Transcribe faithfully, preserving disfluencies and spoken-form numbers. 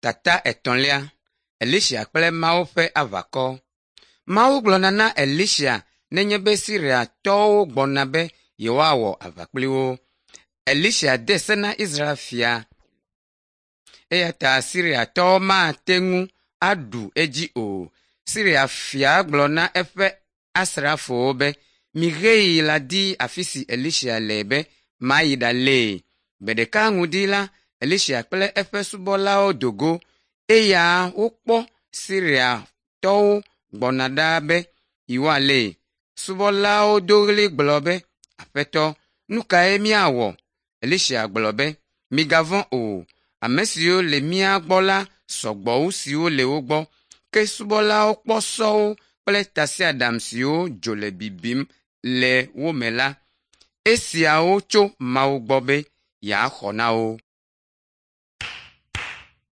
Tata etɔ̃lia Elisa kple Mawu ƒe aʋakɔ. Mawu gblɔna na Elisa nenye be Siriatɔwo gbɔna be yewoawɔ aʋa kpli wo. Elisa de se na Israel fia eya ta Siriatɔwo mate ŋu aɖu edzi o. Siria fia gblɔ na eƒe asrafowo be, “Miheyi ɖadi afi si Elisa le be mayi ɖalée.” Gbe ɖeka ŋdi la, Elisa kple eƒe subɔlawo do go eya wokpɔ Siriatɔwo gbɔna ɖaa be yewoalée. Subɔlawo do ɣli gblɔ be, “Aƒetɔ, nu kae míawɔ?” Elisa gblɔ be, “Migavɔ̃ o, ame siwo le mía gbɔ la sɔ gbɔ wu siwo le wo gbɔ.” Ke subɔlawo kpɔ sɔwo kple tasiaɖam siwo dzo le bibim le wo me la. Esiawo tso Mawu gbɔ be yeaxɔ na wo.